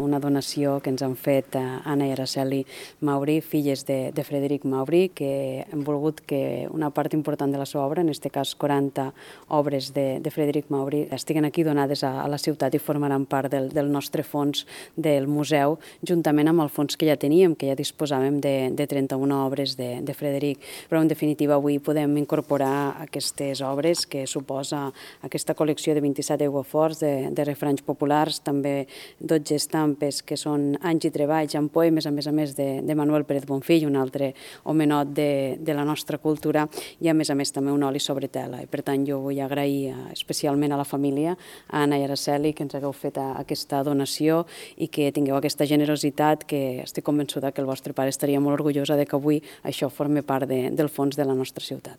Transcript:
una donació que ens han fet Anna i Araceli Mauri, filles de Frederic Mauri, que han volgut que una part important de la seva obra, en aquest cas 40 obres de Frederic Mauri, estiguen aquí donades a la ciutat i formaran part del nostre fons del museu, juntament amb el fons que ja teníem, que ja disposàvem de 31 obres de Frederic. Però, en definitiva, avui podem incorporar aquestes obres que suposa aquesta col·lecció de 27 aiguaforts de refranys populars, també 12 estampes que són anys i treballs amb poemes, a més de Manuel Pérez Bonfill, un altre homenot de la nostra cultura, i a més també un oli sobre tela. I per tant jo vull agrair especialment a la família, a Anna i Araceli, que ens hagueu fet aquesta donació i que tingueu aquesta generositat, que estic convençuda que el vostre pare estaria molt orgullosa de que avui això formi part del fons de la nostra ciutat.